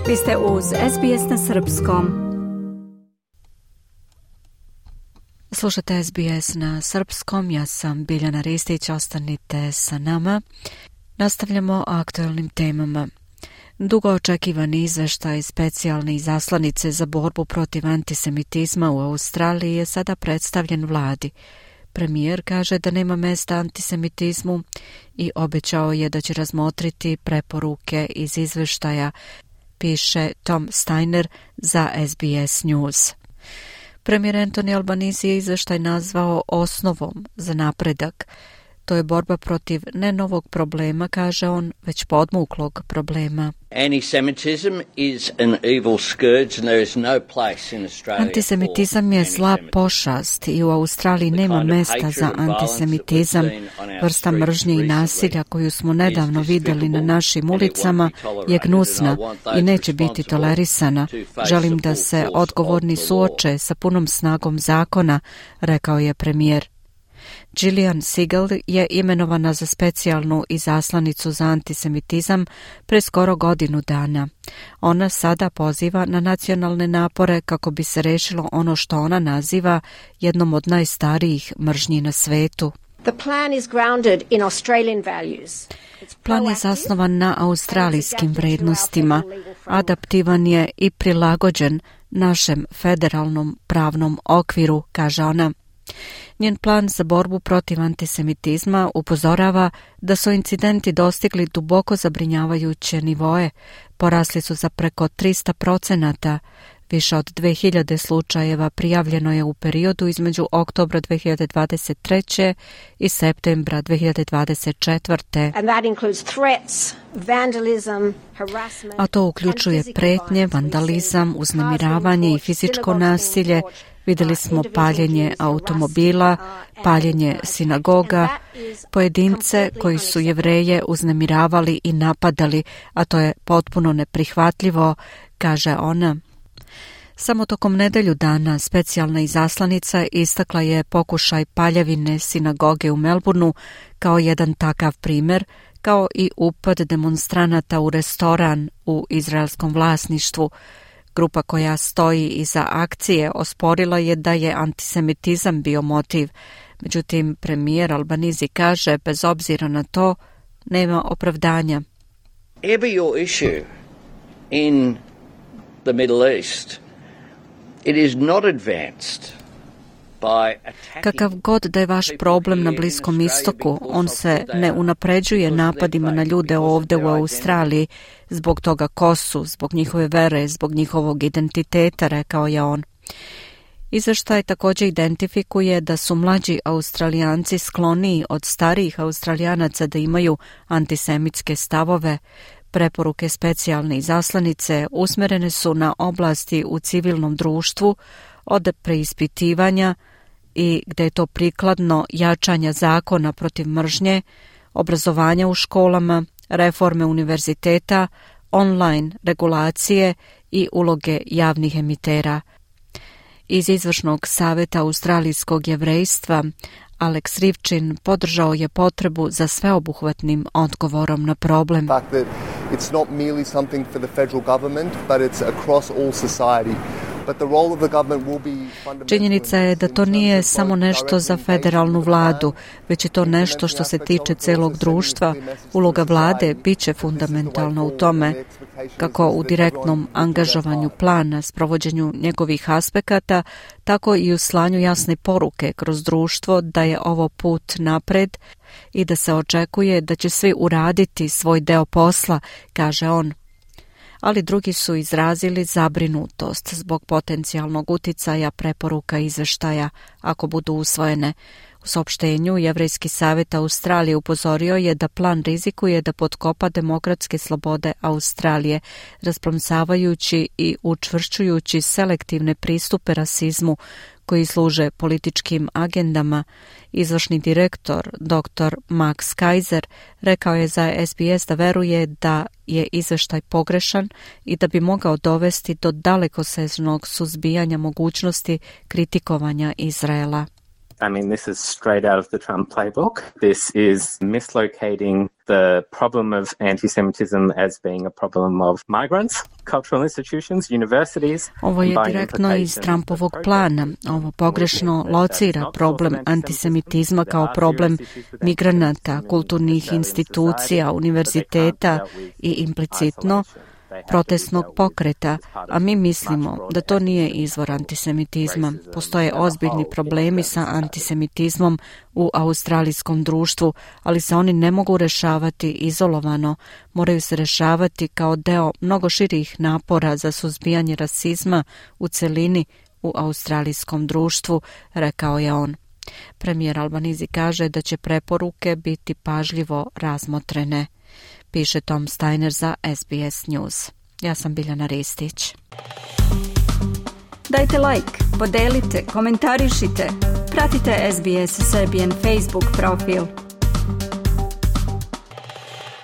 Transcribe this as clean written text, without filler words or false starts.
Vi ste uz SBS na srpskom. Slušate SBS na srpskom, ja sam Biljana Ristić, ostanite sa nama. Nastavljamo aktualnim temama. Dugo očekivani izveštaj specijalne izaslanice za borbu protiv antisemitizma u Australiji je sada predstavljen vladi. Premijer kaže da nema mesta antisemitizmu i obećao je da će razmotriti preporuke iz izveštaja, piše Tom Steiner za SBS News. Premijer Anthony Albanese je izveštaj nazvao osnovom za napredak. To je borba protiv ne novog problema, kaže on, već podmuklog problema. Antisemitizam je zla pošast i u Australiji nema mesta za antisemitizam. Vrsta mržnje i nasilja koju smo nedavno vidjeli na našim ulicama je gnusna i neće biti tolerisana. Želim da se odgovorni suoče sa punom snagom zakona, rekao je premijer. Gillian Siegel je imenovana za specijalnu izaslanicu za antisemitizam pre skoro godinu dana. Ona sada poziva na nacionalne napore kako bi se rešilo ono što ona naziva jednom od najstarijih mržnji na svetu. Plan je zasnovan na australijskim vrednostima, adaptivan je i prilagođen našem federalnom pravnom okviru, kaže ona. Njen plan za borbu protiv antisemitizma upozorava da su incidenti dostigli duboko zabrinjavajuće nivoe. Porasli su za preko 300%. Više od 2000 slučajeva prijavljeno je u periodu između oktobra 2023. i septembra 2024. A to uključuje pretnje, vandalizam, uznemiravanje i fizičko nasilje. Vidjeli smo paljenje automobila, paljenje sinagoga, pojedince koji su Jevreje uznemiravali i napadali, a to je potpuno neprihvatljivo, kaže ona. Samo tokom nedelju dana specijalna izaslanica istakla je pokušaj paljevine sinagoge u Melbourneu kao jedan takav primjer, kao i upad demonstranata u restoran u izraelskom vlasništvu. Grupa koja stoji iza akcije osporila je da je antisemitizam bio motiv. Međutim, premijer Albanese kaže, bez obzira na to, nema opravdanja. Every your issue in the Middle East, it is not advanced. Kakav god da je vaš problem na Bliskom istoku, on se ne unapređuje napadima na ljude ovdje u Australiji zbog toga ko su, zbog njihove vere, zbog njihovog identiteta, rekao je on. Izveštaj također identifikuje da su mlađi Australijanci skloniji od starijih Australijanaca da imaju antisemitske stavove. Preporuke specijalne izaslanice usmjerene su na oblasti u civilnom društvu, od preispitivanja i gdje je to prikladno jačanja zakona protiv mržnje, obrazovanja u školama, reforme univerziteta, online regulacije i uloge javnih emitera. Iz izvršnog savjeta australijskog jevrejstva Alex Rivčin podržao je potrebu za sveobuhvatnim odgovorom na problem. It's not merely something for the federal government, but it's across all society. Činjenica je da to nije samo nešto za federalnu vladu, već je to nešto što se tiče celog društva. Uloga vlade bit će fundamentalna u tome, kako u direktnom angažovanju plana, sprovođenju njegovih aspekata, tako i u slanju jasne poruke kroz društvo da je ovo put napred i da se očekuje da će svi uraditi svoj deo posla, kaže on. Ali drugi su izrazili zabrinutost zbog potencijalnog uticaja preporuka izveštaja ako budu usvojene. U saopštenju Jevrejski savjet Australije upozorio je da plan rizikuje da potkopa demokratske slobode Australije, rasplomsavajući i učvršćujući selektivne pristupe rasizmu koji služe političkim agendama. Izvršni direktor, dr. Max Kaiser, rekao je za SBS da veruje da je izveštaj pogrešan i da bi mogao dovesti do dalekosežnog suzbijanja mogućnosti kritikovanja Izraela. I mean, this is straight out of the Trump playbook. This is mislocating the problem of anti-Semitism as being a problem of migrants, cultural institutions, universities. Ovo je direktno iz Trumpovog plana. Ovo pogrešno locira problem antisemitizma kao problem migranata, kulturnih institucija, univerziteta i implicitno protestnog pokreta, a mi mislimo da to nije izvor antisemitizma. Postoje ozbiljni problemi sa antisemitizmom u australijskom društvu, ali se oni ne mogu rešavati izolovano, moraju se rešavati kao deo mnogo širih napora za suzbijanje rasizma u celini u australijskom društvu, rekao je on. Premijer Albanizi kaže da će preporuke biti pažljivo razmotrene. Piše Tom Steiner za SBS News. Ja sam Biljana Ristić. Dajte like, podelite, komentarišite. Pratite SBS Serbian Facebook profil.